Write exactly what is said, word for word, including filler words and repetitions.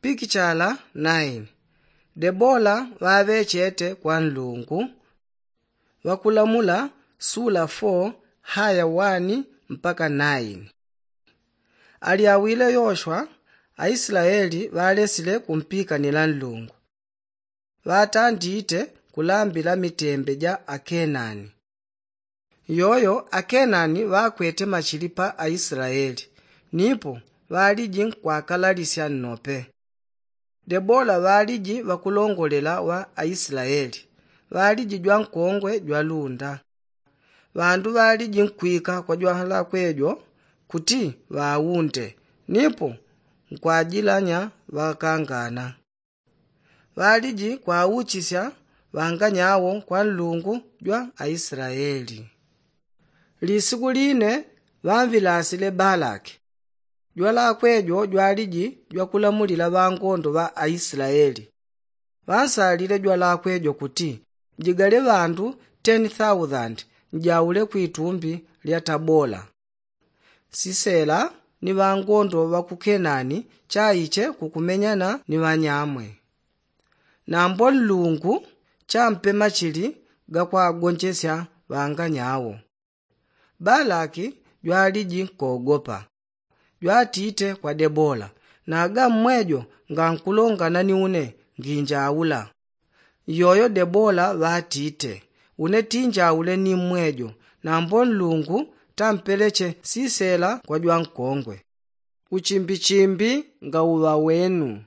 Pikichala naini. Debola ŵaŵechete kwa nlungu. Ŵakulamula sula fo haya wani mpaka naini. Alyawile yoshwa, aislaeli ŵalesile kumpikanila nlungu. Ŵatandite kulambila mitembe ja akenani. Iyoyo akenani ŵakwete machili pa aislaeli, nipo ŵaliji nkwakalalisya nnope. Debola ŵaliji ŵakulongolela wa aislaeli, ŵaliji jwankongwe jwalunda. Ŵandu ŵaliji nkwika kwa jwalakwe jo kuti ŵaunde, nipo nkwajilanya ŵakangana. Ŵaliji kwauchisya ŵanganyawo kwa nlungu jwa aislaeli. Lisiku line ŵamvilasile balaki, jwalakwe jo jwaliji jwakulamulila ŵangondo ŵa aislaeli. Ŵansalile jwalakwe jo kuti njigale ŵandu ten thousand njaule kwitumbi lya tabola. Sisela ni ŵangondo ŵa ku kenani chaiche kukumenyana ni ŵanyamwe. Nambo nlungu champe machili gakwagonjesya ŵanganyawo. Balaki jwaliji nkogopa, jwatite kwa debola, naga mmwejo ngankulongana ni une nginjaula. Iyoyo debola ŵatite, une tinjaule ni mmwejo, nambo nlungu tampeleche sisela kwa jwankongwe. Uchimbichimbi ngauŵa wenu.